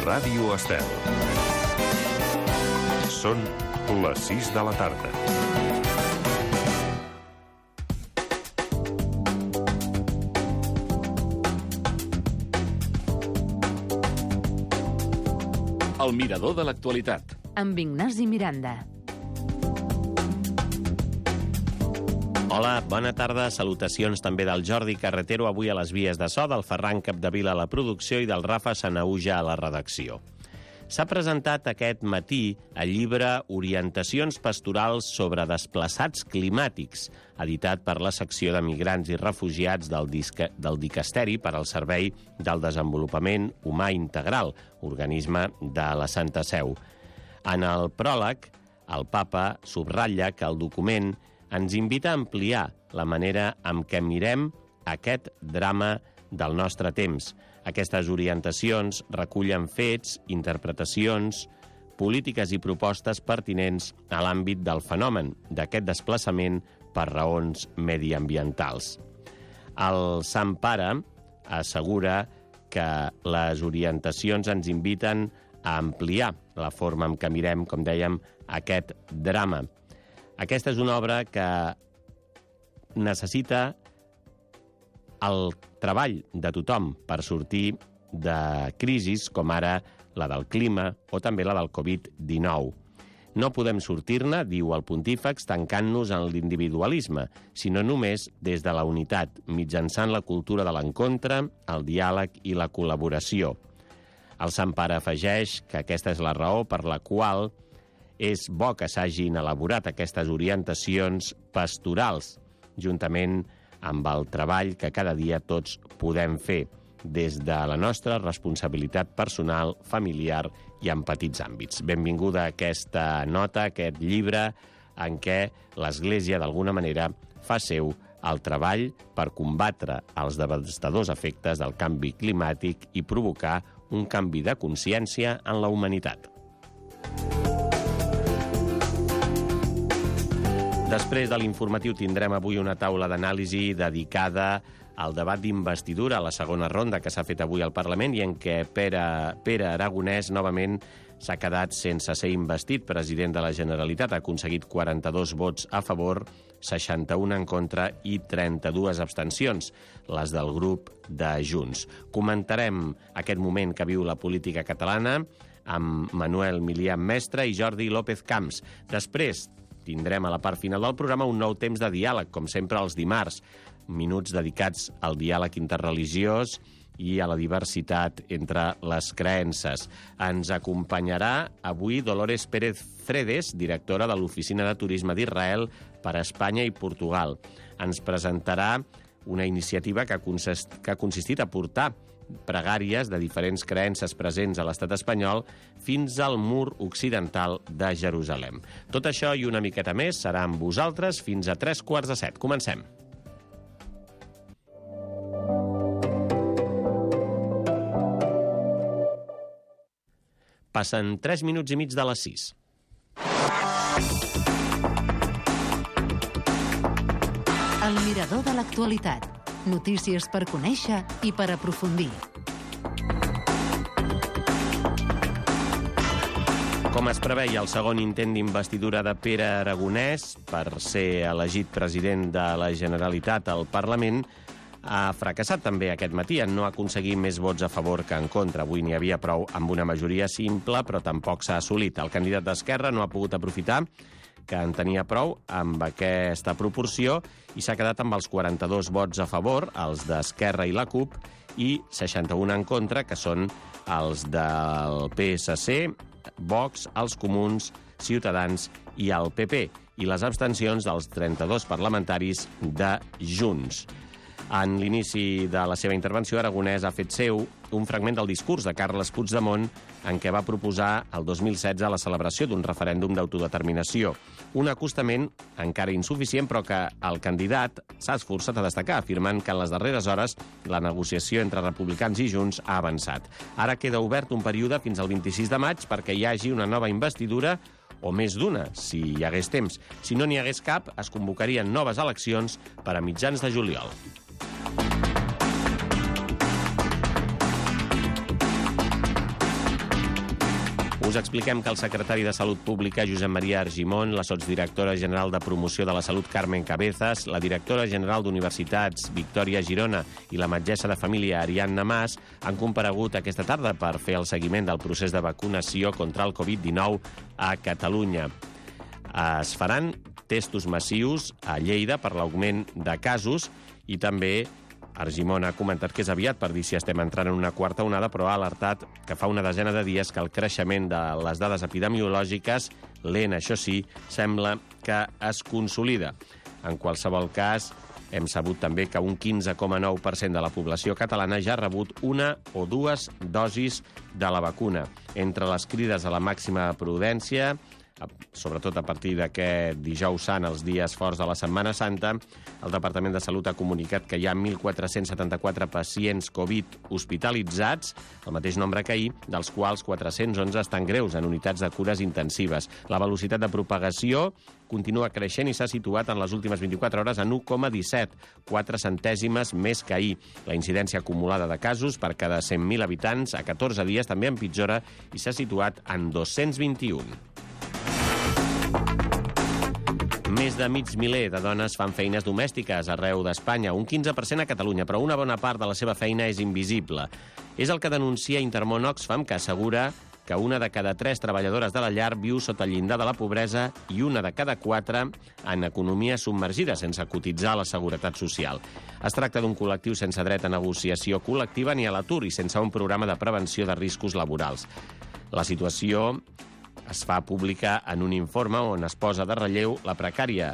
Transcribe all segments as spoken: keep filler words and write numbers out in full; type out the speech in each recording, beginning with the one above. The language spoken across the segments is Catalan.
Ràdio Estel. Són les sis de la tarda. El mirador de l'actualitat. Amb Ignasi Miranda. Hola, bona tarda. Salutacions també del Jordi Carretero, avui a les vies de so, del Ferran Capdevila a la producció i del Rafa Sanauja a la redacció. S'ha presentat aquest matí el llibre Orientacions pastorals sobre desplaçats climàtics, editat per la secció de migrants i refugiats del, disca, del Dicasteri per al Servei del Desenvolupament Humà Integral, organisme de la Santa Seu. En el pròleg, el papa subratlla que el document ens invita a ampliar la manera en què mirem aquest drama del nostre temps. Aquestes orientacions recullen fets, interpretacions, polítiques i propostes pertinents a l'àmbit del fenomen d'aquest desplaçament per raons mediambientals. El Sant Pare assegura que les orientacions ens inviten a ampliar la forma en què mirem, com dèiem, aquest drama. Aquesta és una obra que necessita el treball de tothom per sortir de crisis com ara la del clima o també la del covid dinou. No podem sortir-ne, diu el pontífex, tancant-nos en l'individualisme, sinó només des de la unitat, mitjançant la cultura de l'encontre, el diàleg i la col·laboració. El Sant Pare afegeix que aquesta és la raó per la qual és bo que s'hagin elaborat aquestes orientacions pastorals, juntament amb el treball que cada dia tots podem fer des de la nostra responsabilitat personal, familiar i en petits àmbits. Benvinguda a aquesta nota, a aquest llibre en què l'Església, d'alguna manera, fa seu el treball per combatre els devastadors efectes del canvi climàtic i provocar un canvi de consciència en la humanitat. Després de l'informatiu tindrem avui una taula d'anàlisi dedicada al debat d'investidura, a la segona ronda que s'ha fet avui al Parlament i en què Pere, Pere Aragonès novament s'ha quedat sense ser investit president de la Generalitat. Ha aconseguit quaranta-dos vots a favor, seixanta-un en contra i trenta-dues abstencions, les del grup de Junts. Comentarem aquest moment que viu la política catalana amb Manuel Milián Mestre i Jordi López Camps. Després tindrem a la part final del programa un nou temps de diàleg, com sempre els dimarts, minuts dedicats al diàleg interreligiós i a la diversitat entre les creences. Ens acompanyarà avui Dolores Pérez Fredes, directora de l'Oficina de Turisme d'Israel per a Espanya i Portugal. Ens presentarà una iniciativa que ha consist, que ha consistit a portar pregàries de diferents creences presents a l'estat espanyol fins al mur occidental de Jerusalem. Tot això i una miqueta més serà amb vosaltres fins a tres quarts de set. Comencem. Passen tres minuts i mig de les sis. El mirador de l'actualitat. Notícies per conèixer i per aprofundir. Com es preveia, el segon intent d'investidura de Pere Aragonès per ser elegit president de la Generalitat al Parlament ha fracassat també aquest matí en no aconseguir més vots a favor que en contra. Avui n'hi havia prou amb una majoria simple, però tampoc s'ha assolit. El candidat d'Esquerra no ha pogut aprofitar que en tenia prou amb aquesta proporció i s'ha quedat amb els quaranta-dos vots a favor, els d'Esquerra i la CUP, i seixanta-un en contra, que són els del P S C, Vox, els Comuns, Ciutadans i el P P, i les abstencions dels trenta-dos parlamentaris de Junts. En l'inici de la seva intervenció, Aragonès ha fet seu un fragment del discurs de Carles Puigdemont en què va proposar el dos mil setze la celebració d'un referèndum d'autodeterminació. Un acostament encara insuficient, però que el candidat s'ha esforçat a destacar, afirmant que en les darreres hores la negociació entre republicans i Junts ha avançat. Ara queda obert un període fins al vint-i-sis de maig perquè hi hagi una nova investidura o més d'una, si hi hagués temps. Si no n'hi hagués cap, es convocarien noves eleccions per a mitjans de juliol. Us expliquem que el secretari de Salut Pública, Josep Maria Argimon, la sotsdirectora general de Promoció de la Salut, Carmen Cabezas, la directora general d'Universitats, Victòria Girona, i la metgessa de família, Ariadna Mas, han comparegut aquesta tarda per fer el seguiment del procés de vacunació contra el covid dinou a Catalunya. Es faran testos massius a Lleida per l'augment de casos i també Argimon ha comentat que és aviat per dir si estem entrant en una quarta onada, però ha alertat que fa una desena de dies que el creixement de les dades epidemiològiques, lent això sí, sembla que es consolida. En qualsevol cas, hem sabut també que un quinze coma nou per cent de la població catalana ja ha rebut una o dues dosis de la vacuna. Entre les crides a la màxima prudència, sobretot a partir d'aquest dijous sant, els dies forts de la Setmana Santa, el Departament de Salut ha comunicat que hi ha mil quatre-cents setanta-quatre pacients Covid hospitalitzats, el mateix nombre que ahir, dels quals quatre-cents onze estan greus en unitats de cures intensives. La velocitat de propagació continua creixent i s'ha situat en les últimes vint-i-quatre hores en u coma disset, quatre centèsimes més que ahir. La incidència acumulada de casos per cada cent mil habitants a catorze dies també empitjora i s'ha situat en dos-cents vint-i-un. Més de mig miler de dones fan feines domèstiques arreu d'Espanya, un quinze per cent a Catalunya, però una bona part de la seva feina és invisible. És el que denuncia Intermón Oxfam, que assegura que una de cada tres treballadores de la llar viu sota el llindar de la pobresa i una de cada quatre en economia submergida, sense cotitzar a la Seguretat Social. Es tracta d'un col·lectiu sense dret a negociació col·lectiva ni a l'atur i sense un programa de prevenció de riscos laborals. La situació es fa pública en un informe on es posa de relleu la precària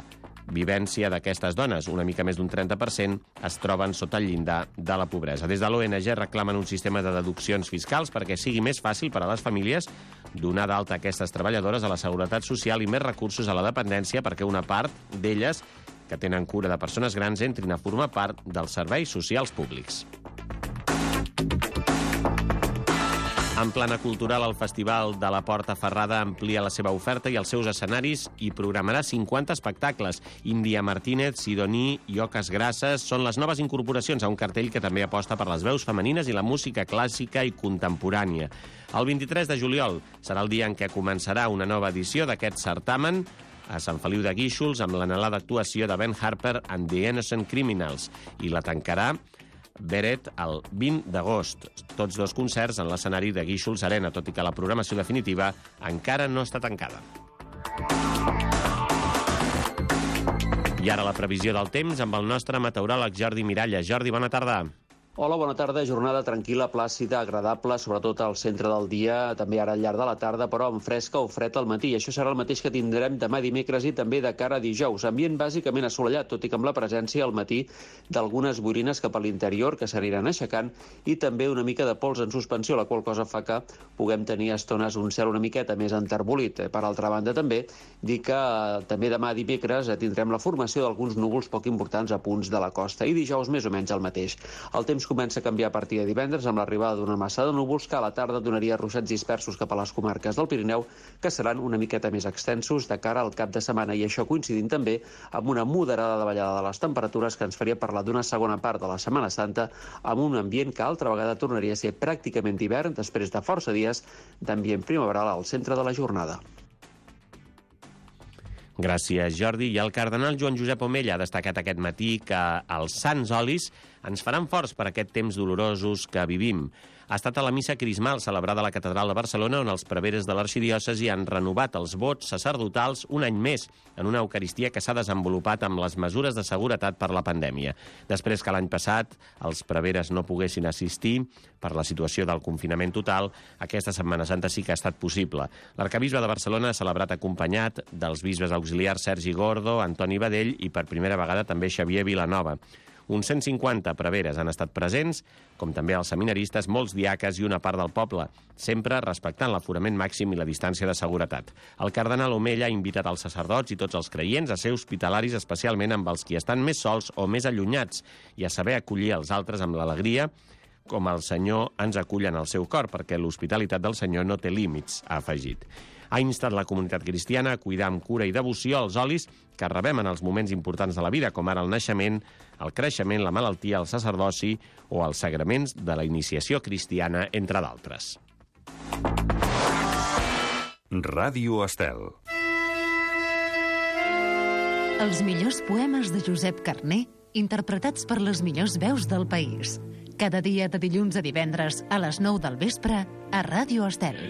vivència d'aquestes dones. Una mica més d'un trenta per cent es troben sota el llindar de la pobresa. Des de l'O N G reclamen un sistema de deduccions fiscals perquè sigui més fàcil per a les famílies donar d'alta aquestes treballadores a la Seguretat Social i més recursos a la dependència perquè una part d'elles que tenen cura de persones grans entrin a formar part dels serveis socials públics. En plana cultural, el Festival de la Porta Ferrada amplia la seva oferta i els seus escenaris i programarà cinquanta espectacles. Índia Martínez, Sidoní i Oques Grasses són les noves incorporacions a un cartell que també aposta per les veus femenines i la música clàssica i contemporània. El vint-i-tres de juliol serà el dia en què començarà una nova edició d'aquest certamen a Sant Feliu de Guíxols amb l'anhelada actuació de Ben Harper and the Innocent Criminals i la tancarà Beret el vint d'agost. Tots dos concerts en l'escenari de Guíxols Arena, tot i que la programació definitiva encara no està tancada. I ara la previsió del temps amb el nostre meteoròleg Jordi Miralles. Jordi, bona tarda. Hola, bona tarda. Jornada tranquil·la, plàcida, agradable, sobretot al centre del dia, també ara al llarg de la tarda, però amb fresca o fred al matí. Això serà el mateix que tindrem demà dimecres i també de cara a dijous. Ambient bàsicament assolellat, tot i que amb la presència al matí d'algunes boirines cap a l'interior que s'aniran aixecant i també una mica de pols en suspensió, la qual cosa fa que puguem tenir estones un cel una miqueta més enterbolit. Per altra banda, també dir que també demà dimecres tindrem la formació d'alguns núvols poc importants a punts de la costa i dijous més o menys el mateix. El temps comença a canviar a partir de divendres amb l'arribada d'una massa de núvols que a la tarda donaria ruixats dispersos cap a les comarques del Pirineu que seran una miqueta més extensos de cara al cap de setmana i això coincidint també amb una moderada davallada de les temperatures que ens faria parlar d'una segona part de la Setmana Santa amb un ambient que altra vegada tornaria a ser pràcticament d'hivern després de força dies d'ambient primaveral al centre de la jornada. Gràcies, Jordi. I el cardenal Joan Josep Omella ha destacat aquest matí que els sants olis ens faran forts per aquest temps dolorosos que vivim. Ha estat a la missa crismal celebrada a la Catedral de Barcelona on els preveres de l'arxidiòcesi han renovat els vots sacerdotals un any més en una Eucaristia que s'ha desenvolupat amb les mesures de seguretat per la pandèmia. Després que l'any passat els preveres no poguessin assistir per la situació del confinament total, aquesta Setmana Santa sí que ha estat possible. L'arcabisbe de Barcelona ha celebrat acompanyat dels bisbes auxiliars Sergi Gordo, Antoni Badell i per primera vegada també Xavier Vilanova. Uns cent cinquanta preveres han estat presents, com també els seminaristes, molts diaques i una part del poble, sempre respectant l'aforament màxim i la distància de seguretat. El cardenal Omella ha invitat els sacerdots i tots els creients a ser hospitalaris, especialment amb els qui estan més sols o més allunyats, i a saber acollir els altres amb l'alegria, com el Senyor ens acull en el seu cor, perquè l'hospitalitat del Senyor no té límits, ha afegit. Ha instat la comunitat cristiana a cuidar amb cura i devoció els olis que rebem en els moments importants de la vida, com ara el naixement, el creixement, la malaltia, el sacerdoci o els sagraments de la iniciació cristiana, entre d'altres. Ràdio Estel. Els millors poemes de Josep Carner, interpretats per les millors veus del país. Cada dia de dilluns a divendres a les nou del vespre a Ràdio Estel.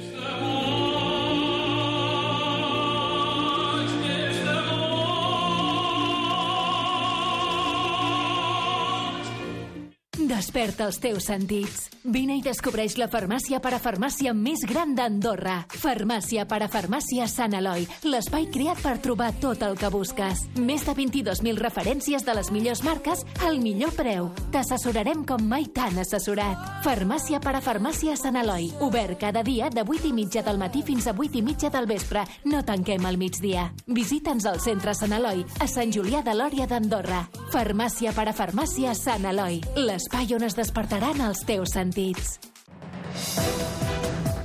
Desperta els teus sentits. Vine i descobreix la farmàcia parafarmàcia més gran d'Andorra. Farmàcia parafarmàcia Sant Eloi, l'espai creat per trobar tot el que busques. Més de vint-i-dos mil referències de les millors marques al millor preu. T'assessorarem com mai t'han assessorat. Farmàcia parafarmàcia Sant Eloi, obert cada dia de vuit i mitja del matí fins a vuit i mitja del vespre. No tanquem al migdia. Visita'ns al centre Sant Eloi, a Sant Julià de Lòria d'Andorra. Farmàcia parafarmàcia Sant Eloi, l'espai on es despertaran els teus sentits.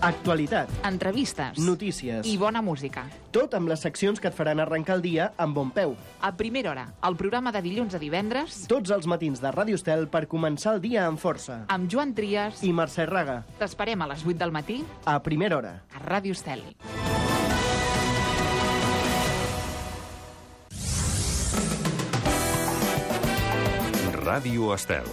Actualitat, entrevistes, notícies i bona música. Tot amb les seccions que et faran arrencar el dia amb bon peu. A primera hora, el programa de dilluns a divendres, Tots els matins de Ràdio Estel per començar el dia amb força. amb Joan Trias. I Mercè Raga, T'esperem a les vuit del matí a primera hora. a Ràdio Estel. Ràdio Estel.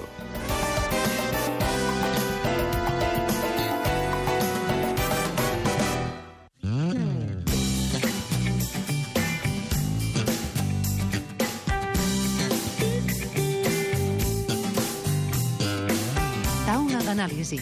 Taula d'anàlisi.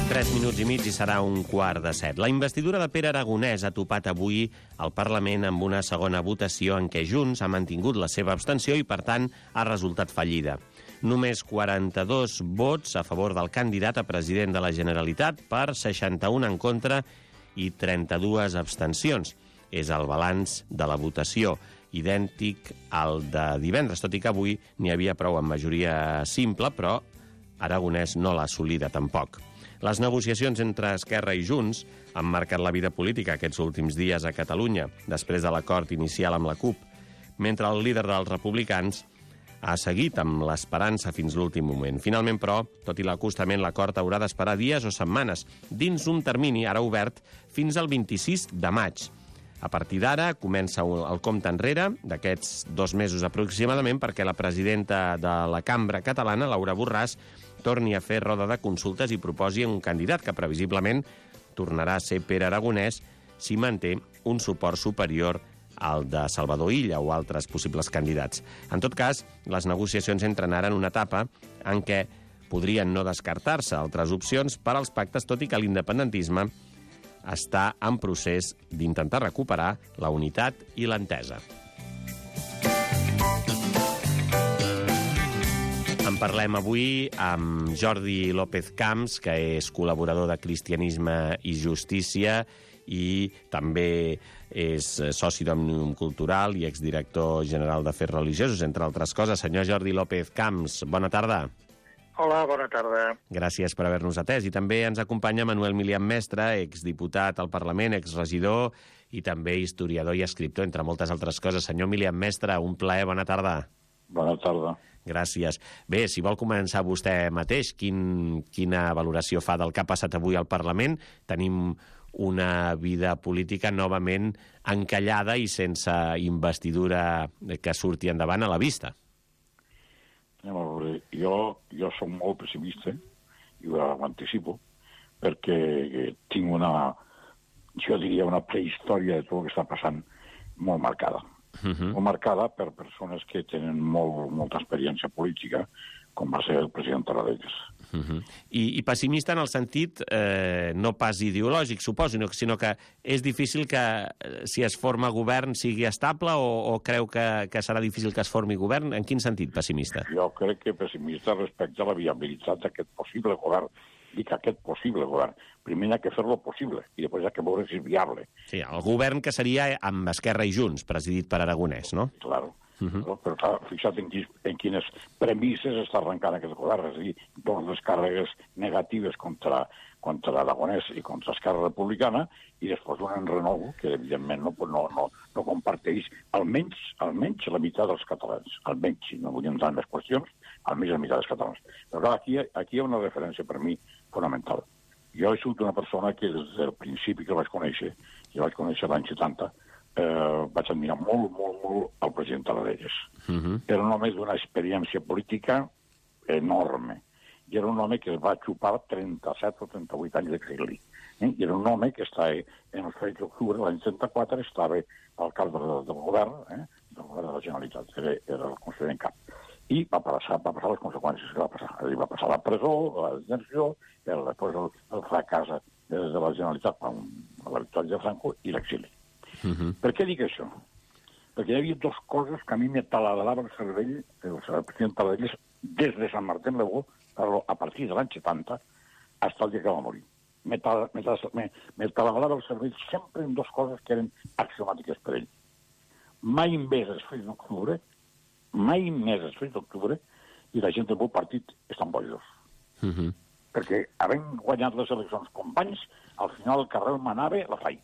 Tres minuts i mig i serà un quart de set. La investidura de Pere Aragonès ha topat avui al Parlament amb una segona votació en què Junts ha mantingut la seva abstenció i, per tant, ha resultat fallida. Només quaranta-dos vots a favor del candidat a president de la Generalitat per seixanta-un en contra i trenta-dues abstencions. És el balanç de la votació, idèntic al de divendres, tot i que avui n'hi havia prou en majoria simple, però Aragonès no l'ha assolida tampoc. Les negociacions entre Esquerra i Junts han marcat la vida política aquests últims dies a Catalunya, després de l'acord inicial amb la CUP, mentre el líder dels republicans ha seguit amb l'esperança fins l'últim moment. Finalment, però, tot i l'acostament, l'acord haurà d'esperar dies o setmanes, dins un termini ara obert fins al vint-i-sis de maig. A partir d'ara comença el compte enrere d'aquests dos mesos aproximadament perquè la presidenta de la Cambra Catalana, Laura Borràs, torni a fer roda de consultes i proposi un candidat que previsiblement tornarà a ser Pere Aragonès si manté un suport superior al de Salvador Illa o altres possibles candidats. En tot cas, les negociacions entren ara en una etapa en què podrien no descartar-se altres opcions per als pactes, tot i que l'independentisme està en procés d'intentar recuperar la unitat i l'entesa. En parlem avui amb Jordi López Camps, que és col·laborador de Cristianisme i Justícia i també és soci d'Òmnium Cultural i exdirector general d'Afers Religiosos, entre altres coses. Senyor Jordi López Camps, bona tarda. Hola, bona tarda. Gràcies per haver-nos atès. I també ens acompanya Manuel Milian Mestre, exdiputat al Parlament, exregidor i també historiador i escriptor, entre moltes altres coses. Senyor Milian Mestre, un plaer, bona tarda. Bona tarda. Gràcies. Bé, si vol començar vostè mateix, quin, quina valoració fa del que ha passat avui al Parlament? Tenim una vida política novament encallada i sense investidura que surti endavant a la vista. Anem a veure, jo, jo soc molt pessimista, i ho anticipo, perquè tinc una, jo diria, una prehistòria de tot el que està passant molt marcada. Uh-huh. Molt marcada per persones que tenen molt, molta experiència política, com va ser el president Tarradellas. Uh-huh. I, I pessimista en el sentit eh, no pas ideològic, suposo, sinó que és difícil que, si es forma govern, sigui estable, o, o creu que, que serà difícil que es formi govern? En quin sentit pessimista? Jo crec que pessimista respecte a la viabilitat d'aquest possible govern. Dic aquest possible govern. Primer hi ha que fer-lo possible, i després hi ha que veure si és viable. Sí, el govern que seria amb Esquerra i Junts, presidit per Aragonès, no? Claro. Uh-huh. No? Però clar, fixa't en, quins, en quines premisses està arrencant aquest govern, és a dir, totes les càrregues negatives contra, contra Aragonès i contra Esquerra Republicana, i després un enrenou que, evidentment, no, no, no, no comparteix almenys, almenys la meitat dels catalans. Almenys, si no vull entrar en les qüestions, almenys la meitat dels catalans. Però clar, aquí, aquí hi ha una referència per mi fonamental. Jo he sigut una persona que des del principi que el vaig conèixer, que el vaig conèixer l'any setanta, eh, vaig admirar molt, molt, molt el president Tarradellas. Uh-huh. Era un home d'una experiència política enorme. I era un home que es va xupar trenta-set o trenta-vuit anys d'exili. Eh? I era un home que estava en el tres d'octubre de l'any trenta-quatre, estava al cap del, del govern, eh? del govern de la Generalitat, era, era el conseller en cap. I va passar, va passar les conseqüències que va passar. Ell va passar la presó, la detenció, el, després el, el fracàs de, de la Generalitat amb la victòria de Franco i l'exili. Uh-huh. Per què dic això? Perquè hi havia dues coses que a mi me taladrava el cervell, el president Tarradellas, des de Sant Martín le Beau, a partir de l'any setanta, fins al dia que va morir. Me, tal, me, me, me taladrava el cervell sempre en dues coses que eren axiomàtiques per ell. Mai més els fets d'octubre, mai més els fets d'octubre, i la gent del meu partit estan bojos. Uh-huh. Perquè, havent guanyat les eleccions companys, al final el carrer manava la fai.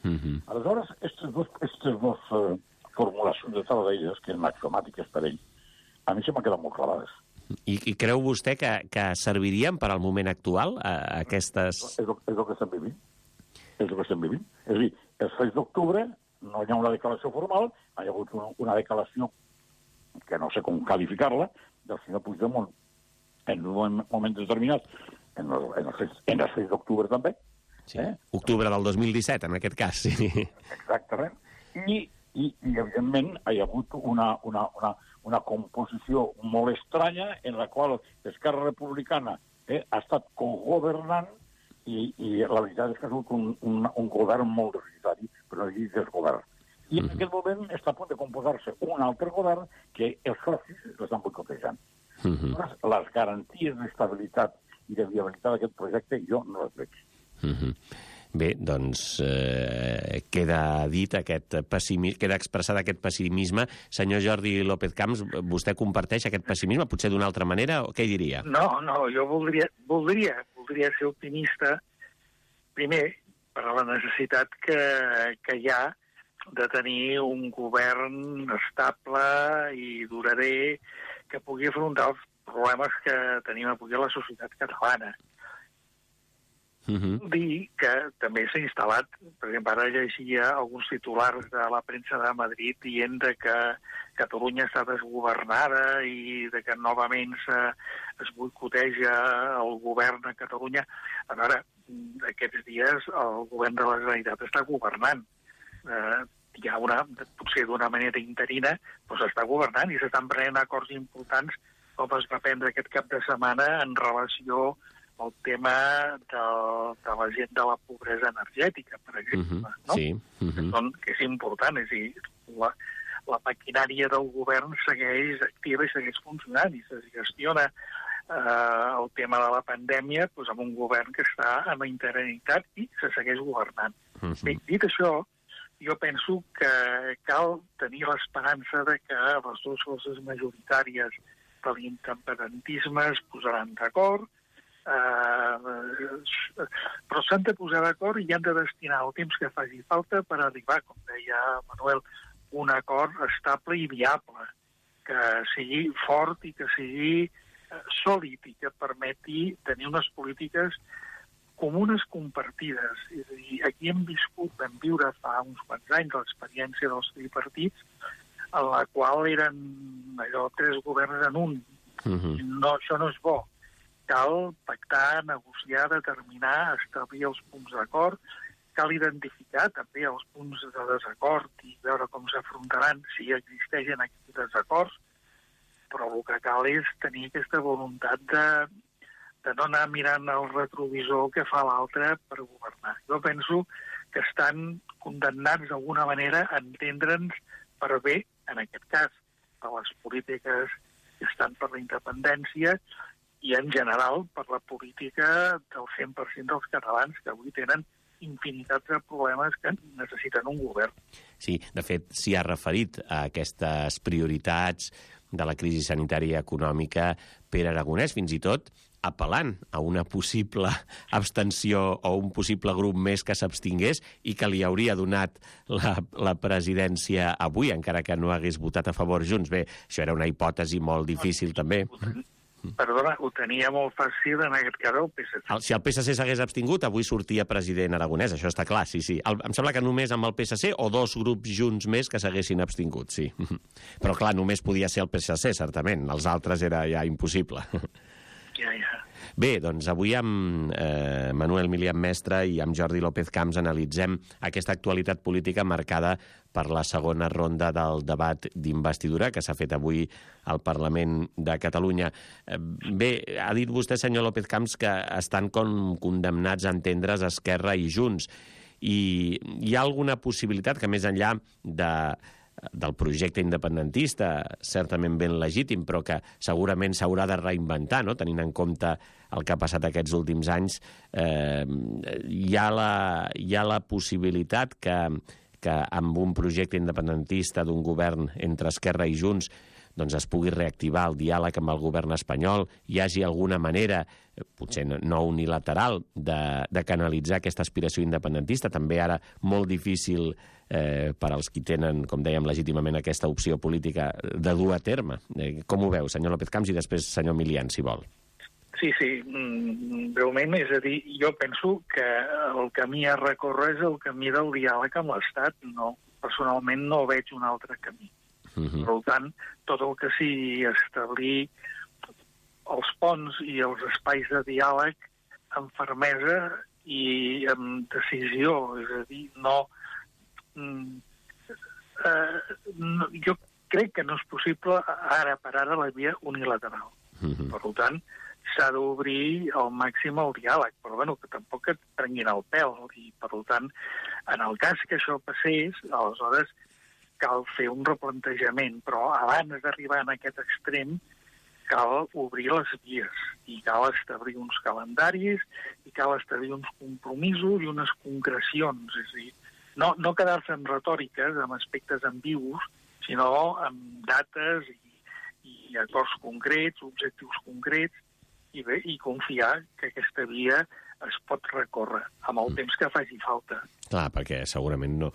Uh-huh. Aleshores, aquestes dues, aquestes dues uh, formulacions de Tarradellas, que eren axiomàtiques per ell, a mi se m'han quedat molt clavades. I, I creu vostè que, que servirien per al moment actual, a, a aquestes... És el, és el que estem vivint. És el que estem vivint. És a dir, el sis d'octubre no hi ha una declaració formal, hi ha hagut una, una declaració que no sé com qualificar-la, del senyor Puigdemont en un moment determinat, en el, en el, en el sis d'octubre també. Sí. Eh? Octubre del dos mil disset, en aquest cas, sí. Exactament. I, i, i evidentment, hi ha hagut una... una, una una composició molt estranya en la qual Esquerra Republicana eh, ha estat cogovernant i, i la veritat és que ha sigut un, un, un govern molt deficitari, però no dir desgovern. I en uh-huh. aquest moment està a punt de composar-se un altre govern que els socis l'estan boicotejant. Uh-huh. Les garanties d'estabilitat i de viabilitat d'aquest projecte jo no les veig. Uh-huh. Bé, doncs eh, queda dit aquest pessimisme, queda expressat aquest pessimisme. Senyor Jordi López Camps, vostè comparteix aquest pessimisme, potser d'una altra manera, o què diria? No, no, jo voldria, voldria, voldria ser optimista, primer, per a la necessitat que, que hi ha de tenir un govern estable i durader que pugui afrontar els problemes que tenim avui a la societat catalana. Uh-huh. Dir que també s'ha instal·lat, per exemple, ara llegia alguns titulars de la premsa de Madrid dient de que Catalunya està desgovernada i de que novament es boicoteja el govern a Catalunya. A veure, aquests dies el govern de la Generalitat està governant. Eh, hi ha una, potser d'una manera interina, però s'està governant i s'estan prenent acords importants com es va prendre aquest cap de setmana en relació el tema de, de la gent de la pobresa energètica, per exemple, uh-huh. no? Sí. Uh-huh. Són, que és important, és a dir, la, la maquinària del govern segueix activa i segueix funcionant i se gestiona eh, el tema de la pandèmia doncs, amb un govern que està en la interinitat i se segueix governant. Uh-huh. Bé, dit això, jo penso que cal tenir l'esperança de que les dues forces majoritàries de l'independentisme es posaran d'acord, Uh, però s'han de posar d'acord i han de destinar el temps que faci falta per arribar, com deia Manuel, un acord estable i viable, que sigui fort i que sigui uh, sòlid i que permeti tenir unes polítiques comunes compartides. És a dir, aquí hem viscut, vam viure fa uns quants anys l'experiència dels tripartits, en la qual eren allò tres governs en un. Uh-huh. No, això no és bo. Cal pactar, negociar, determinar, establir els punts d'acord, cal identificar també els punts de desacord i veure com s'afrontaran si existeixen aquests desacords, però el que cal és tenir aquesta voluntat de, de no anar mirant el retrovisor que fa l'altre per governar. Jo penso que estan condemnats d'alguna manera a entendre'ns per bé, en aquest cas, per les polítiques que estan per la independència, i en general per la política del cent per cent dels catalans que avui tenen infinitats de problemes que necessiten un govern. Sí, de fet, s'hi ha referit a aquestes prioritats de la crisi sanitària i econòmica Pere Aragonès, fins i tot apel·lant a una possible abstenció o un possible grup més que s'abstingués i que li hauria donat la, la presidència avui, encara que no hagués votat a favor Junts. Bé, això era una hipòtesi molt difícil, també. Perdona, ho tenia molt fàcil en aquest cas el P S C. El, si el P S C s'hagués abstingut, avui sortia president Aragonès, això està clar, sí, sí. El, em sembla que només amb el P S C o dos grups junts més que s'haguessin abstingut, sí. Però clar, només podia ser el P S C, certament. Els altres era ja impossible. Ja, ja. Bé, doncs avui amb eh, Manuel Milian Mestre i amb Jordi López Camps analitzem aquesta actualitat política marcada per la segona ronda del debat d'investidura que s'ha fet avui al Parlament de Catalunya. Eh, bé, ha dit vostè, senyor López Camps, que estan com condemnats a entendre's Esquerra i Junts. I hi ha alguna possibilitat que més enllà de... del projecte independentista, certament ben legítim, però que segurament s'haurà de reinventar, no? Tenint en compte el que ha passat aquests últims anys, eh, hi ha la, hi ha la possibilitat que, que amb un projecte independentista d'un govern entre Esquerra i Junts doncs es pugui reactivar el diàleg amb el govern espanyol, hi hagi alguna manera, potser no unilateral, de, de canalitzar aquesta aspiració independentista, també ara molt difícil eh, per als qui tenen, com dèiem, legítimament aquesta opció política de dur a terme. Eh, com ho veu, senyor López Camps, i després senyor Milian, si vol. Sí, sí, breument, és a dir, jo penso que el camí a recórrer és el camí del diàleg amb l'Estat. No, personalment no veig un altre camí. Uh-huh. Per tant, tot el que sigui establir els ponts i els espais de diàleg amb fermesa i amb decisió, és a dir, no... Eh, no jo crec que no és possible ara per ara la via unilateral. Uh-huh. Per tant, s'ha d'obrir al màxim el diàleg, però bueno, que tampoc et prenguin el pèl. I, per tant, en el cas que això passés, aleshores cal fer un replantejament, però abans d'arribar en aquest extrem cal obrir les vies i cal establir uns calendaris i cal establir uns compromisos i unes concrecions. És a dir, no, no quedar-se en retòriques, amb aspectes ambigus, sinó amb dates i, i acords concrets, objectius concrets, i bé, i confiar que aquesta via es pot recórrer amb el temps que faci falta. Clar, perquè segurament no,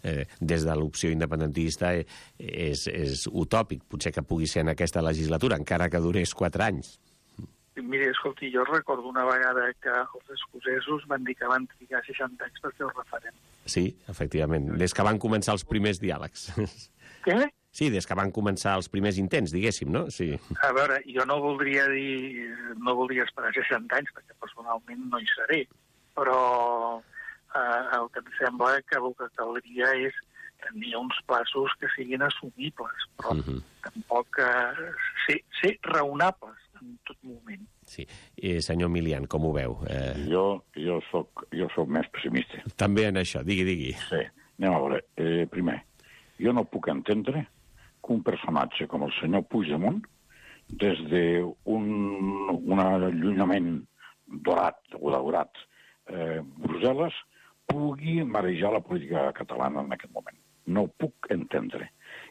eh, des de l'opció independentista eh, és, és utòpic, potser que pugui ser en aquesta legislatura, encara que durés quatre anys. Mira, escolti, jo recordo una vegada que els escocesos van dir que van trigar seixanta anys per fer el referèndum. Sí, efectivament, des que van començar els primers diàlegs. Què? Sí, des que van començar els primers intents, diguéssim, no? Sí. A veure, jo no voldria dir... no voldria esperar seixanta anys, perquè personalment no hi seré, però eh, el que em sembla que el que caldria és tenir uns plaços que siguin assumibles, però uh-huh. tampoc eh, ser, ser raonables en tot moment. Sí. Eh, senyor Milian, com ho veu? Eh... Jo, jo, soc, jo soc més pessimista. També en això, digui, digui. Sí, anem a veure. Eh, primer, jo no puc entendre que un personatge com el senyor Puigdemont, des d'un un allunyament dorat o daurat eh, Brussel·les, pugui marejar la política catalana en aquest moment. No ho puc entendre.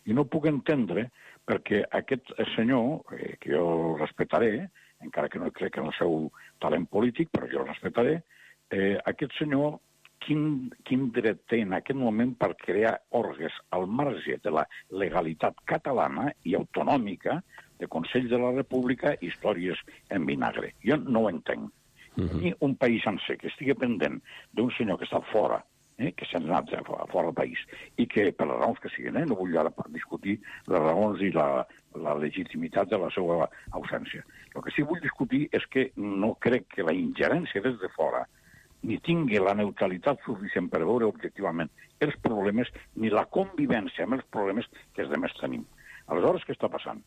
I no puc entendre perquè aquest senyor, eh, que jo respectaré, encara que no crec en el seu talent polític, però jo el respectaré, eh, aquest senyor Quin, quin dret té en aquest moment per crear òrgans al marge de la legalitat catalana i autonòmica de Consell de la República, històries en vinagre. Jo no ho entenc. Uh-huh. I un país sencer que estigui pendent d'un senyor que està fora, eh, que s'ha anat fora del país, i que, per les raons que siguin, eh, no vull ara discutir les raons i la, la legitimitat de la seva ausència. El que sí vull discutir és que no crec que la ingerència des de fora ni tingui la neutralitat suficient per veure objectivament els problemes, ni la convivència amb els problemes que els demés tenim. Aleshores, què està passant?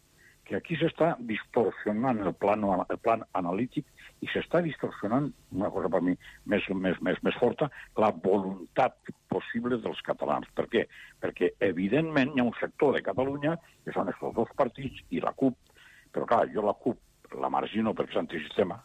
Que aquí s'està distorsionant el plan, el plan analític i s'està distorsionant, una cosa per mi més, més, més, més forta, la voluntat possible dels catalans. Per què? Perquè, evidentment, hi ha un sector de Catalunya, que són aquests dos partits, i la CUP, però clar, jo la CUP la margino perquè és antisistema.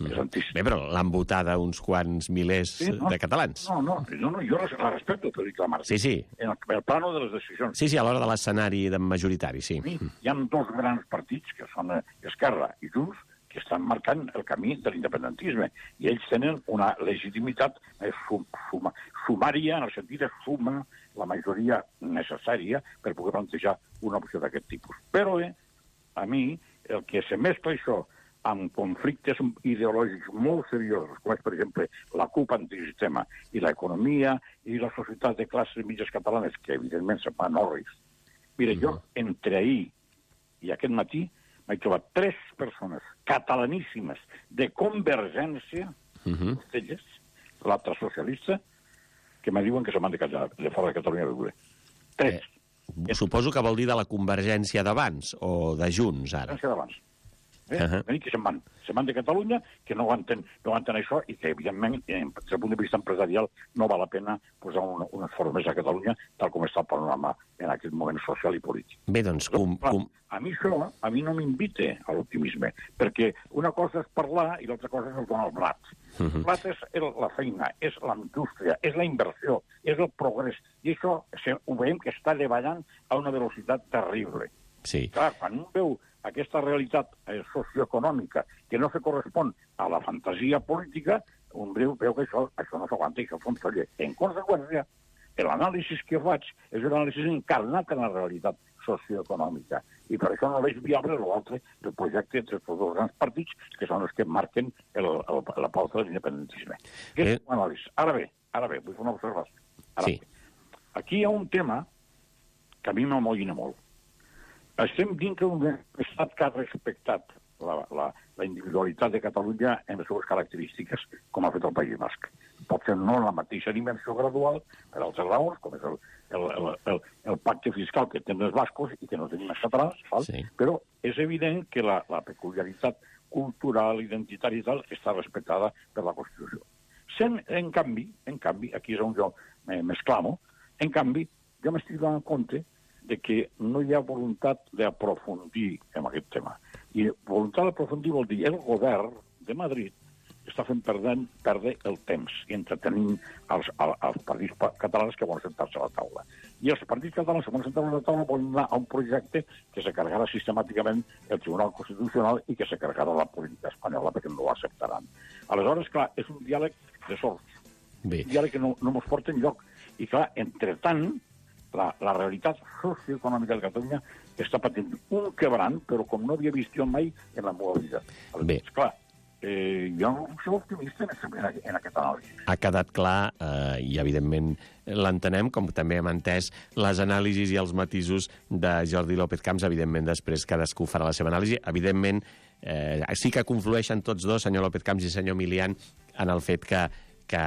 Bé, però l'han votada uns quants milers sí, no, de catalans. No, no, no, no jo la respecto, però dic la marca. Sí, sí. En el, el plano de les decisions. Sí, sí, a l'hora de l'escenari majoritari, sí. sí. Hi ha dos grans partits, que són Esquerra i Junts, que estan marcant el camí de l'independentisme. I ells tenen una legitimitat sum, suma, sumària, en el sentit de suma la majoria necessària per poder plantejar una opció d'aquest tipus. Però eh, a mi, el que se mescla això amb conflictes ideològics molt seriosos, com és, per exemple, la CUP antisistema i l'economia i la societat de classes mitges catalanes, que evidentment se'n van orris. Mira, jo, entre ahir i aquest matí, m'he trobat tres persones catalaníssimes de Convergència, uh-huh. elles, l'altra socialista, que me diuen que se m'han de callar de fora de Catalunya a viure. Tres. Eh, suposo que vol dir de la Convergència d'abans o de Junts, ara. Convergència d'abans. Eh? Uh-huh. Que se'n van. Se'n van de Catalunya, que no aguanten, no aguanten això i que, evidentment, des del punt de vista empresarial, no val la pena posar un, un esforç més a Catalunya, tal com està el panorama en aquest moment social i polític. Bé, doncs... Com, com... A mi això, a mi no m'invita a l'optimisme, perquè una cosa és parlar i l'altra cosa és el donar el blat. Uh-huh. El blat és la feina, és la indústria, és la inversió, és el progrés, i això ho veiem que està davallant a una velocitat terrible. Sí. Clar, quan un veu aquesta realitat eh, socioeconòmica que no se correspon a la fantasia política, un veu, veu que això, això no s'aguanta i això s'enfolla. En conseqüència, l'anàlisi que faig és un anàlisi encarnat en la realitat socioeconòmica. I per això no veig viable l'altre, el projecte entre els dos grans partits, que són els que marquen el, el, la pauta de l'independentisme. Aquest és un anàlisi. Ara bé, ara bé, vull fer una observació. Ara sí. bé. Aquí hi ha un tema que a mi m'amoïna molt. Estem dintre d'un estat que ha respectat la, la, la individualitat de Catalunya en les seves característiques, com ha fet el País Basc. Pot ser no en la mateixa dimensió gradual, per altres raons, com és el, el, el, el, el pacte fiscal que tenen els bascos i que no tenim els catalans, sí. Però és evident que la, la peculiaritat cultural, identitària i tal, està respectada per la Constitució. Sent, en canvi, en canvi, aquí és on jo m'exclamo, en canvi, jo m'estic donant compte de que no hi ha voluntat d'aprofundir en aquest tema. I voluntat d'aprofundir vol dir el govern de Madrid està fent perdre, perdre el temps i entretenint els, els partits catalans que volen sentar-se a la taula. I els partits catalans que volen sentar-se a la taula volen anar a un projecte que se carregarà sistemàticament el Tribunal Constitucional i que se carregarà la política espanyola perquè no ho acceptaran. Aleshores, clar, és un diàleg de sords. Bé. Un diàleg que no, no mos porta enlloc. I clar, entretant, La, la realitat socioeconòmica de Catalunya està patint un quebrant, però com no havia vist jo mai en la meva vida. Bé. Esclar, eh, jo no soc optimista en, en, en aquest anàlisi. Ha quedat clar, eh, i evidentment l'entenem, com també hem entès les anàlisis i els matisos de Jordi López Camps. Evidentment, després cadascú farà la seva anàlisi. Evidentment, eh, sí que conflueixen tots dos, senyor López Camps i senyor Milian, en el fet que que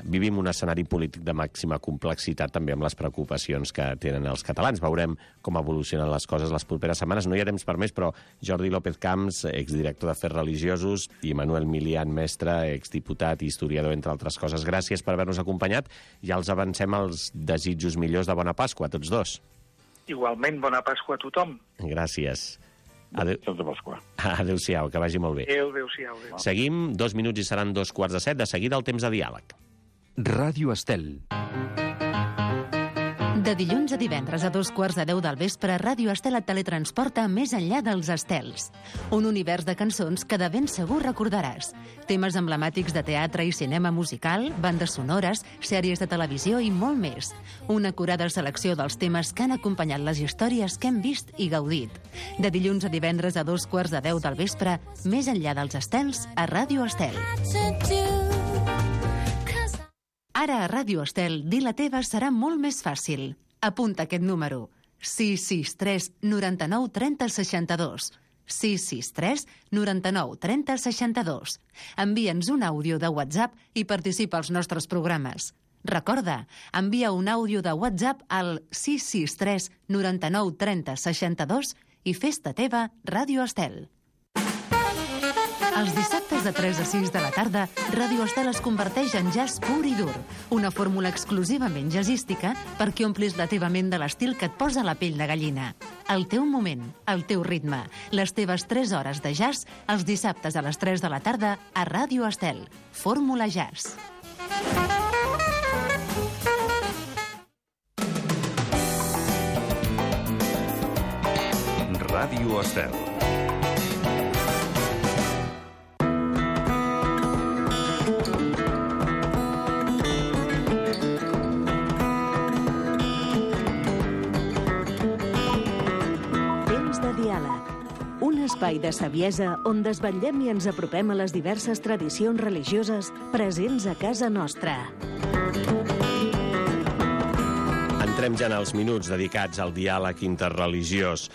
vivim un escenari polític de màxima complexitat també amb les preocupacions que tenen els catalans. Veurem com evolucionen les coses les properes setmanes. No hi ha temps per més, però Jordi López Camps, exdirector d'Afers Religiosos, i Manuel Milian, mestre, exdiputat i historiador, entre altres coses. Gràcies per haver-nos acompanyat. Ja els avancem els desitjos millors de bona Pasqua a tots dos. Igualment, bona Pasqua a tothom. Gràcies. Adéu... Adéu-siau, que vagi molt bé. Adéu, adéu-siau. Adéu. Seguim, dos minuts i seran dos quarts de set. De seguida el temps de diàleg. Ràdio Estel. De dilluns a divendres a dos quarts de deu del vespre, Ràdio Estel et teletransporta més enllà dels estels. Un univers de cançons que de ben segur recordaràs. Temes emblemàtics de teatre i cinema musical, bandes sonores, sèries de televisió i molt més. Una acurada selecció dels temes que han acompanyat les històries que hem vist i gaudit. De dilluns a divendres a dos quarts de deu del vespre, més enllà dels estels, a Ràdio Estel. Ara a Ràdio Estel, dir la teva serà molt més fàcil. Apunta aquest número. sis sis tres noranta-nou trenta seixanta-dos. sis sis tres noranta-nou trenta seixanta-dos. Envia'ns un àudio de WhatsApp i participa als nostres programes. Recorda, envia un àudio de WhatsApp al sis sis tres noranta-nou trenta seixanta-dos i fes-te teva Ràdio Estel. Els dissabtes de tres a sis de la tarda, Ràdio Estel es converteix en jazz pur i dur, una fórmula exclusivament jazzística perquè omplis la teva ment de l'estil que et posa la pell de gallina. El teu moment, el teu ritme, les teves tres hores de jazz, els dissabtes a les tres de la tarda a Ràdio Estel. Fórmula Jazz. Ràdio Estel. espai de saviesa on desvetllem i ens apropem a les diverses tradicions religioses presents a casa nostra. Entrem ja en els minuts dedicats al diàleg interreligiós.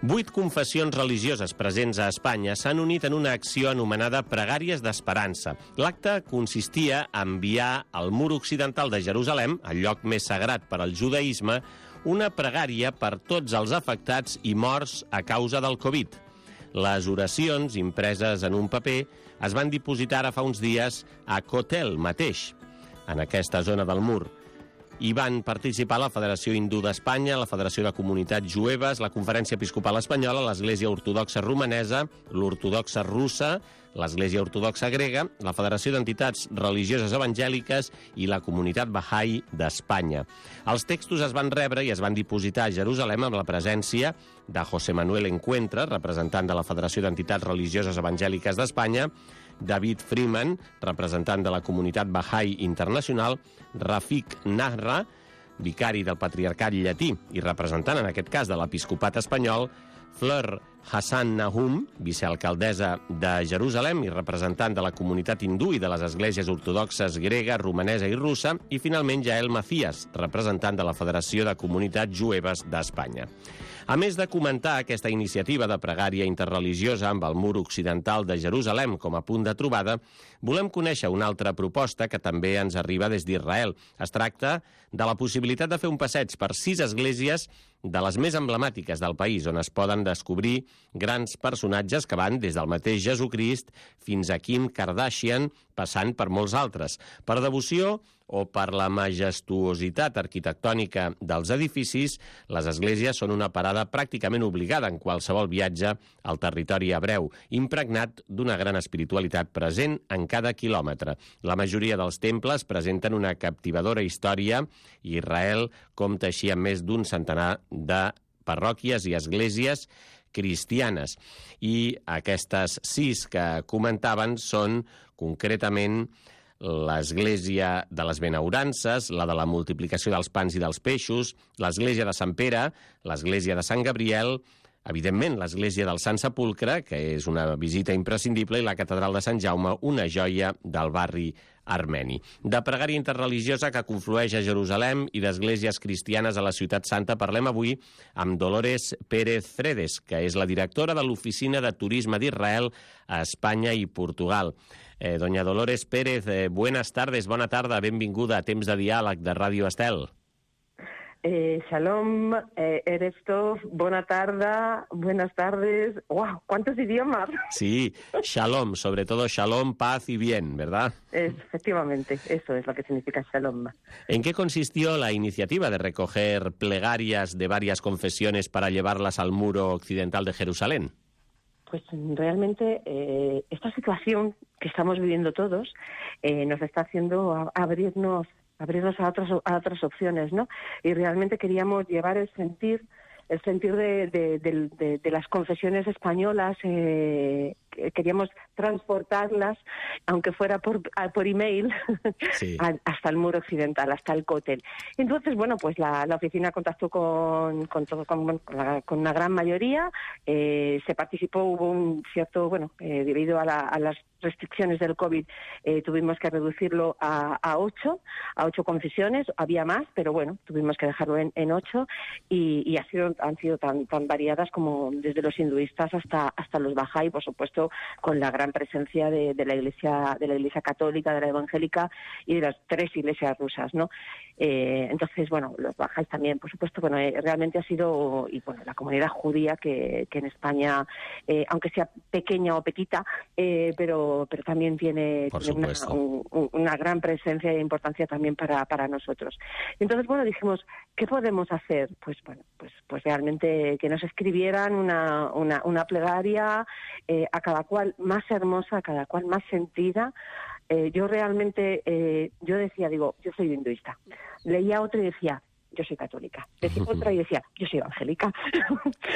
Vuit confessions religioses presents a Espanya s'han unit en una acció anomenada Pregàries d'Esperança. L'acte consistia a enviar al mur occidental de Jerusalem, el lloc més sagrat per al judaïsme, una pregària per tots els afectats i morts a causa del Covid. Les oracions, impreses en un paper, es van dipositar ara fa uns dies a Kotel mateix, en aquesta zona del mur. Hi van participar la Federació Hindú d'Espanya, la Federació de Comunitats Jueves, la Conferència Episcopal Espanyola, l'Església Ortodoxa Romanesa, l'Ortodoxa Russa, l'Església Ortodoxa Grega, la Federació d'Entitats Religioses Evangèliques i la Comunitat Bahá'í d'Espanya. Els textos es van rebre i es van dipositar a Jerusalem amb la presència de José Manuel Encuentra, representant de la Federació d'Entitats Religioses Evangèliques d'Espanya, David Freeman, representant de la Comunitat Bahá'í Internacional, Rafik Nahra, vicari del Patriarcat Llatí i representant, en aquest cas, de l'Episcopat espanyol, Fleur Hassan Nahum, vicealcaldessa de Jerusalem i representant de la comunitat hindú i de les esglésies ortodoxes grega, romanesa i russa, i finalment Jael Macías, representant de la Federació de Comunitats Jueves d'Espanya. A més de comentar aquesta iniciativa de pregària interreligiosa amb el mur occidental de Jerusalem com a punt de trobada, volem conèixer una altra proposta que també ens arriba des d'Israel. Es tracta de la possibilitat de fer un passeig per sis esglésies de les més emblemàtiques del país, on es poden descobrir grans personatges que van des del mateix Jesucrist fins a Kim Kardashian, passant per molts altres. Per devoció o per la majestuositat arquitectònica dels edificis, les esglésies són una parada pràcticament obligada en qualsevol viatge al territori hebreu, impregnat d'una gran espiritualitat present en cada quilòmetre. La majoria dels temples presenten una captivadora història i Israel compta així amb més d'un centenar de parròquies i esglésies cristianes. I aquestes sis que comentaven són concretament l'Església de les Benaurances, la de la multiplicació dels pans i dels peixos, l'Església de Sant Pere, l'Església de Sant Gabriel, evidentment l'Església del Sant Sepulcre, que és una visita imprescindible, i la Catedral de Sant Jaume, una joia del barri armeni. De pregària interreligiosa que conflueix a Jerusalem i d'esglésies cristianes a la Ciutat Santa parlem avui amb Dolores Pérez Fredes, que és la directora de l'Oficina de Turisme d'Israel a Espanya i Portugal. Eh, doña Dolores Pérez, eh, buenas tardes, bona tarda, benvinguda a Temps de Diàleg de Ràdio Estel. Eh, shalom, eh, eres Tov, buena tarde, buenas tardes. ¡Wow! ¿Cuántos idiomas? Sí, shalom, sobre todo shalom, paz y bien, ¿verdad? Es, efectivamente, eso es lo que significa shalom. ¿En qué consistió la iniciativa de recoger plegarias de varias confesiones para llevarlas al muro occidental de Jerusalén? Pues realmente eh, esta situación que estamos viviendo todos eh, nos está haciendo abrirnos abrirnos a otras a otras opciones, ¿no? Y realmente queríamos llevar el sentir el sentir de, de, de, de, de las confesiones españolas, eh, queríamos transportarlas, aunque fuera por, por email, sí, hasta el muro occidental, hasta el Kotel. Entonces, bueno, pues la, la oficina contactó con, con, todo, con, con, la, con una gran mayoría, eh, se participó, hubo un cierto, bueno, eh, debido a, la, a las restricciones del COVID, eh, tuvimos que reducirlo a, a ocho, a ocho confesiones, había más, pero bueno, tuvimos que dejarlo en, en ocho, y, y ha sido, han sido tan, tan variadas como desde los hinduistas hasta, hasta los Bahá'í, por supuesto, con la gran presencia de, de la Iglesia de la Iglesia católica, de la evangélica y de las tres iglesias rusas, ¿no? Eh, entonces, bueno, los Bahá'í también, por supuesto, bueno, eh, realmente ha sido, y bueno, la comunidad judía que, que en España, eh, aunque sea pequeña o petita, eh, pero, pero también tiene, tiene una, un, una gran presencia e importancia también para, para nosotros. Entonces, bueno, dijimos, ¿qué podemos hacer? Pues bueno, pues, pues realmente que nos escribieran una, una, una plegaria, eh, a cada cual más hermosa, a cada cual más sentida. Eh, yo realmente, eh, yo decía, digo, yo soy hinduista. Leía otra y decía, yo soy católica. Decía otra y decía, yo soy evangélica.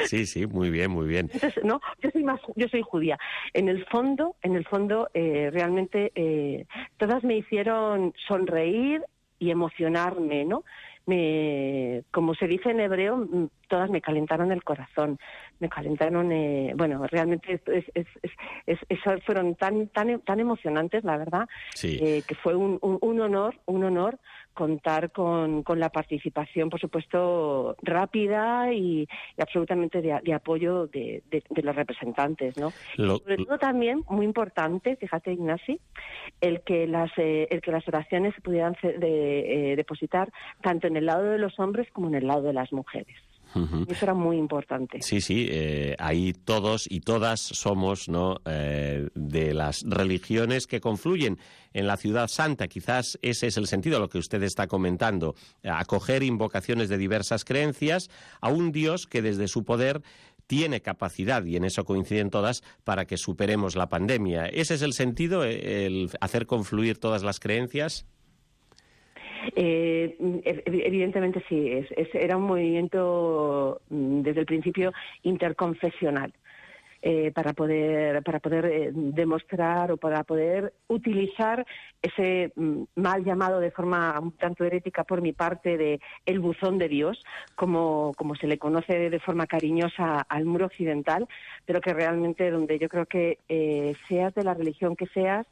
Sí, sí, muy bien, muy bien. Entonces, no, yo soy más, yo soy judía. En el fondo, en el fondo, eh, realmente eh, todas me hicieron sonreír y emocionarme, ¿no? Me, como se dice en hebreo, todas me calentaron el corazón, me calentaron, eh, bueno, realmente es, es, es, es, es, fueron tan, tan, tan emocionantes, la verdad, sí. eh, que fue un, un, un honor, un honor contar con, con la participación, por supuesto, rápida y, y absolutamente de, de apoyo de, de, de los representantes, ¿no? Lo, y sobre todo también, muy importante, fíjate, Ignasi, el que las, eh, el que las oraciones se pudieran de, eh, depositar tanto en el lado de los hombres como en el lado de las mujeres. Uh-huh. Eso era muy importante. Sí, sí, eh, ahí todos y todas somos, ¿no?, eh, de las religiones que confluyen en la ciudad santa. Quizás ese es el sentido de lo que usted está comentando, acoger invocaciones de diversas creencias a un Dios que desde su poder tiene capacidad, y en eso coinciden todas, para que superemos la pandemia. ¿Ese es el sentido, el hacer confluir todas las creencias? Eh, evidentemente sí, es, es, era un movimiento desde el principio interconfesional. Eh, para poder para poder eh, demostrar o para poder utilizar ese mm, mal llamado de forma un tanto herética por mi parte de el buzón de Dios, como, como se le conoce de forma cariñosa al muro occidental, pero que realmente donde yo creo que eh, seas de la religión que seas,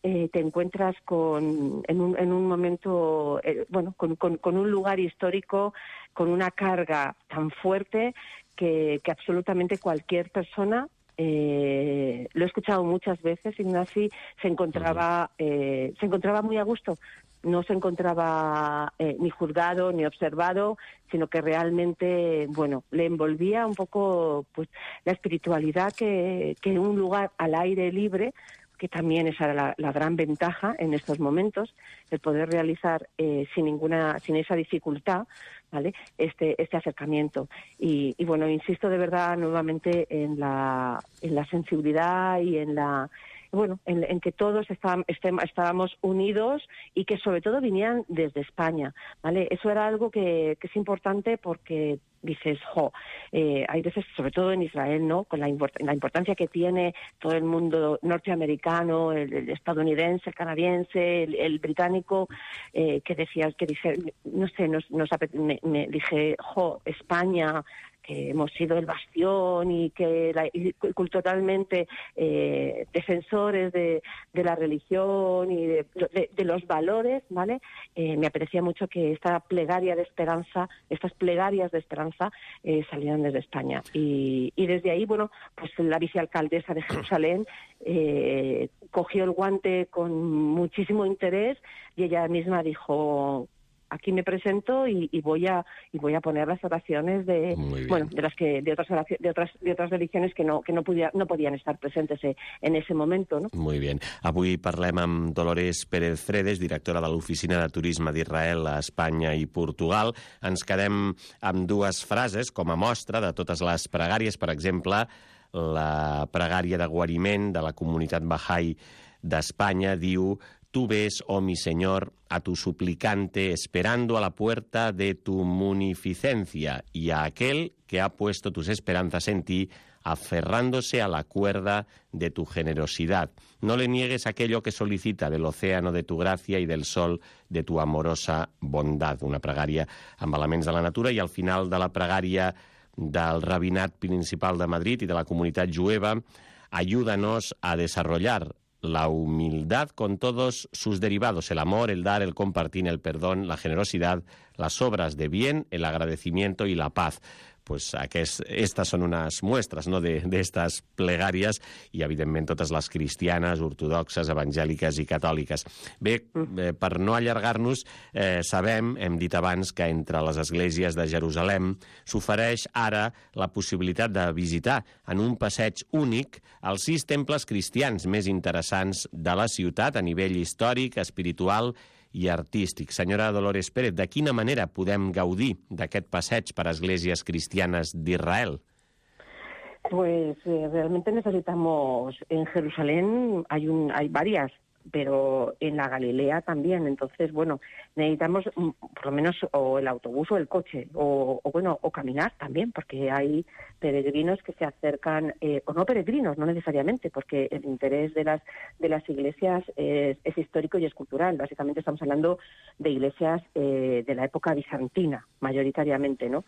Eh, te encuentras con en un, en un momento, eh, bueno, con, con, con un lugar histórico, con una carga tan fuerte que, que absolutamente cualquier persona, eh, lo he escuchado muchas veces, Ignasi, se encontraba, eh, se encontraba muy a gusto. No se encontraba eh, ni juzgado ni observado, sino que realmente, bueno, le envolvía un poco pues la espiritualidad que, que un lugar al aire libre, que también esa era la, la gran ventaja en estos momentos, el poder realizar eh, sin ninguna, sin esa dificultad, ¿vale?, este, este acercamiento. Y, y bueno, insisto de verdad nuevamente en la, en la sensibilidad y en la, bueno, en, en que todos está, estem, estábamos unidos y que sobre todo vinieran desde España, ¿vale? Eso era algo que, que es importante porque dices, jo, eh, hay veces, sobre todo en Israel, ¿no?, con la, import la importancia que tiene todo el mundo norteamericano, el, el estadounidense, el canadiense, el, el británico, eh, que decías, que dije, no sé, nos, nos me, me dije, jo, España, que hemos sido el bastión y que la, y culturalmente eh, defensores de, de la religión y de, de, de los valores, ¿vale? Eh, me aprecia mucho que esta plegaria de esperanza, estas plegarias de esperanza eh, salieran desde España. Y, y desde ahí, bueno, pues la vicealcaldesa de Jerusalén eh, cogió el guante con muchísimo interés y ella misma dijo: aquí me presento y, y voy a y voy a poner las oraciones de bueno de las que de otras de otras de otras religiones que no que no podía, no podían estar presentes en ese momento, ¿no? Muy bien. Avui parlem amb Dolores Pérez Fredes, directora de l'Oficina de Turisme d'Israel a Espanya i Portugal. Ens quedem amb dues frases com a mostra de totes les pregàries. Per exemple, la pregària de guariment de la comunitat Bahá'í d'Espanya diu: tú ves, oh mi Señor, a tu suplicante esperando a la puerta de tu munificencia y a aquel que ha puesto tus esperanzas en ti, aferrándose a la cuerda de tu generosidad. No le niegues aquello que solicita del océano de tu gracia y del sol de tu amorosa bondad. Una pregària amb elements de la natura, i al final de la pregària del Rabinat Principal de Madrid y de la comunidad jueva: ayúdanos a desarrollar la humildad con todos sus derivados, el amor, el dar, el compartir, el perdón, la generosidad, las obras de bien, el agradecimiento y la paz. Pues aquest, estas són unes muestres, no?, d'estes plegàries, i evidentment totes les cristianes, ortodoxes, evangèliques i catòliques. Bé, eh, per no allargar-nos, eh, sabem, hem dit abans, que entre les esglésies de Jerusalem s'ofereix ara la possibilitat de visitar en un passeig únic els sis temples cristians més interessants de la ciutat a nivell històric, espiritual i artístic. Senyora Dolores Pérez, de quina manera podem gaudir d'aquest passeig per esglésies cristianes d'Israel? Pues eh, realmente necesitamos, en Jerusalén hay, un, hay varias, pero en la Galilea también. Entonces, bueno, necesitamos por lo menos o el autobús o el coche, o, o bueno, o caminar también, porque hay peregrinos que se acercan, eh, o no peregrinos, no necesariamente, porque el interés de las de las iglesias es, es histórico y es cultural. Básicamente estamos hablando de iglesias eh, de la época bizantina, mayoritariamente, ¿no?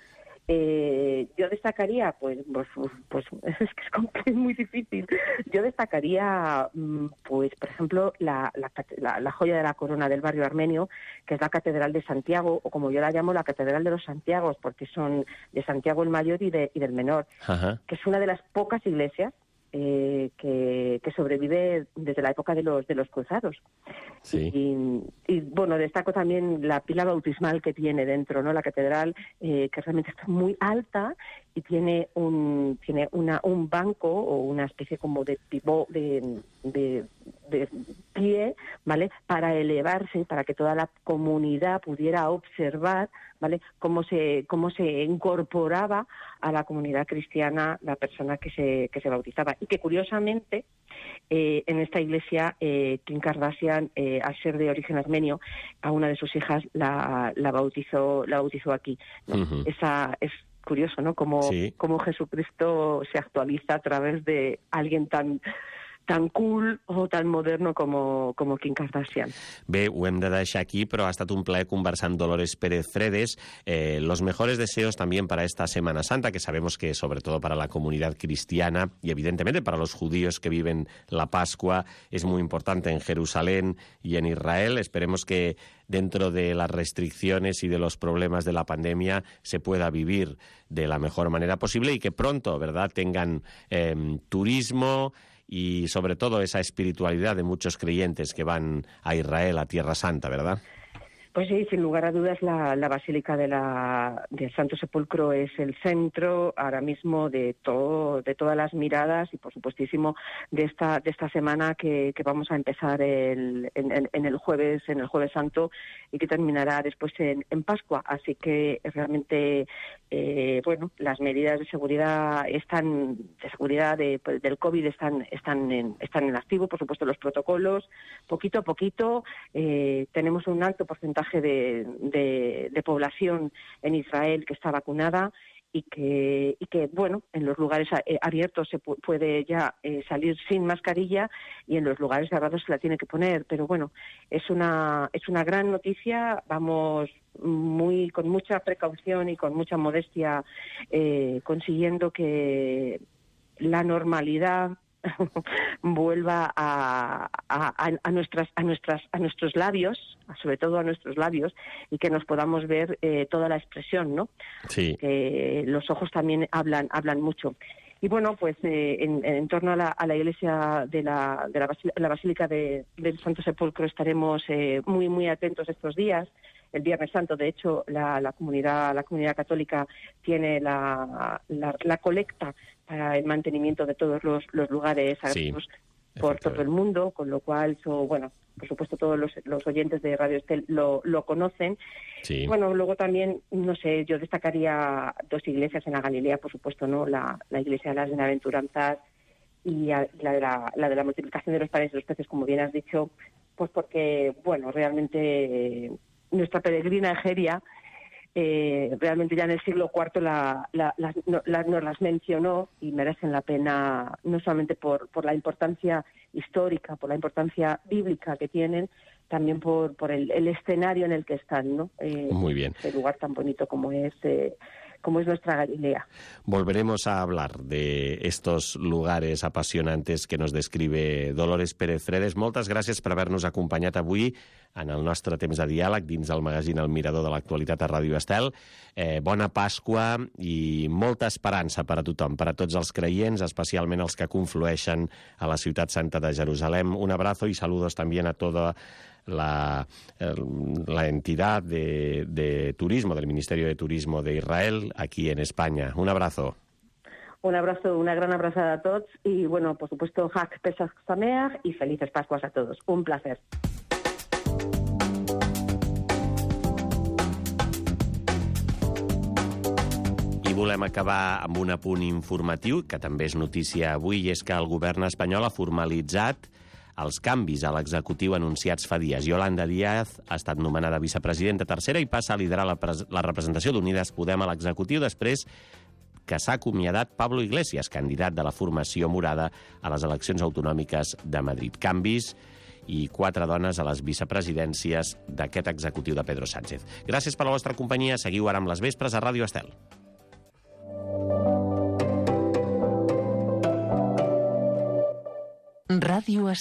Eh, yo destacaría, pues, pues, pues es que es, es muy difícil. Yo destacaría, pues, por ejemplo, la, la, la, la joya de la corona del barrio armenio, que es la Catedral de Santiago, o como yo la llamo, la Catedral de los Santiagos, porque son de Santiago el Mayor y, de, y del Menor, Ajá. que es una de las pocas iglesias Eh, que, que sobrevive desde la época de los de los cruzados. Sí. Y, y bueno, destaco también la pila bautismal que tiene dentro, ¿no? La catedral, eh, que realmente está muy alta y tiene un tiene una un banco o una especie como de pivot de, de, de pie, ¿vale? Para elevarse, para que toda la comunidad pudiera observar, ¿vale? Cómo se cómo se incorporaba a la comunidad cristiana la persona que se que se bautizaba. Y que curiosamente eh, en esta iglesia eh, Kim Kardashian, eh, al ser de origen armenio, a una de sus hijas la, la bautizó la bautizó aquí, ¿no? Uh-huh. Esa es curioso, ¿no? Como sí. Como Jesucristo se actualiza a través de alguien tan tan cool o tan moderno como, como Kim Kardashian. Bé, ho hem de deixar aquí, però ha estat un plaer conversar amb Dolores Pérez Fredes. Eh, los mejores deseos también para esta Semana Santa, que sabemos que sobre todo para la comunidad cristiana y evidentemente para los judíos que viven la Pascua es muy importante en Jerusalén y en Israel. Esperemos que dentro de las restricciones y de los problemas de la pandemia se pueda vivir de la mejor manera posible y que pronto, ¿verdad?, tengan eh, turismo y sobre todo esa espiritualidad de muchos creyentes que van a Israel, a Tierra Santa, ¿verdad? Pues sí, sin lugar a dudas la, la Basílica de la, del Santo Sepulcro es el centro ahora mismo de todo, de todas las miradas y por supuestísimo de esta de esta semana que, que vamos a empezar el, en, en el jueves en el Jueves Santo y que terminará después en, en Pascua. Así que realmente eh, bueno, las medidas de seguridad están de seguridad de, del COVID están están en, están en activo, por supuesto los protocolos poquito a poquito eh, tenemos un alto porcentaje De, de, de población en Israel que está vacunada y que, y que bueno, en los lugares abiertos se pu- puede ya eh, salir sin mascarilla y en los lugares cerrados se la tiene que poner, pero bueno, es una es una gran noticia. Vamos muy con mucha precaución y con mucha modestia eh, consiguiendo que la normalidad vuelva a, a, a nuestras a nuestras a nuestros labios, sobre todo a nuestros labios, y que nos podamos ver eh, toda la expresión, ¿no? Sí. Que los ojos también hablan hablan mucho. Y bueno, pues eh, en, en torno a la, a la iglesia de la de la, Basí- la Basílica de, del Santo Sepulcro estaremos eh, muy muy atentos estos días. El Viernes Santo, de hecho, la, la comunidad la comunidad católica tiene la, la, la colecta para el mantenimiento de todos los, los lugares sagrados sí, por todo el mundo, con lo cual, so, bueno, por supuesto todos los, los oyentes de Radio Estel lo, lo conocen. Sí. Bueno, luego también, no sé, yo destacaría dos iglesias en la Galilea, por supuesto, ¿no? La, la iglesia de las Bienaventuranzas y a, la, de la, la de la multiplicación de los panes y los peces, como bien has dicho, pues porque, bueno, realmente eh, nuestra peregrina Egeria Eh, realmente ya en el siglo cuarto la, la, la, no, la, nos las mencionó y merecen la pena no solamente por, por la importancia histórica, por la importancia bíblica que tienen, también por, por el, el escenario en el que están, ¿no? Eh, Muy bien. Ese lugar tan bonito como es eh, como es nuestra Galilea. Volveremos a hablar de estos lugares apasionantes que nos describe Dolores Pérez Fredes. Moltes gràcies per haver-nos acompanyat avui en el nostre temps de diàleg dins del magazín El Mirador de l'Actualitat a Ràdio Estel. Eh, bona Pasqua i molta esperança per a tothom, per a tots els creients, especialment els que conflueixen a la ciutat santa de Jerusalem. Un abrazo y saludos también a toda la, la entidad de, de turismo, del Ministerio de Turismo de Israel, aquí en España. Un abrazo. Un abrazo, una gran abrazada a todos y, bueno, por supuesto, Hag Pesach Sameach y felices Pascuas a todos. Un placer. I volem acabar amb un apunt informatiu, que també és notícia avui, i és que el govern espanyol ha formalitzat els canvis a l'executiu anunciats fa dies. Yolanda Díaz ha estat nomenada vicepresidenta tercera i passa a liderar la, la representació d'Unides Podem a l'executiu després que s'ha acomiadat Pablo Iglesias, candidat de la formació morada a les eleccions autonòmiques de Madrid. Canvis i quatre dones a les vicepresidències d'aquest executiu de Pedro Sánchez. Gràcies per la vostra companyia. Seguiu ara amb les vespres a Ràdio Estel. Ràdio Estel.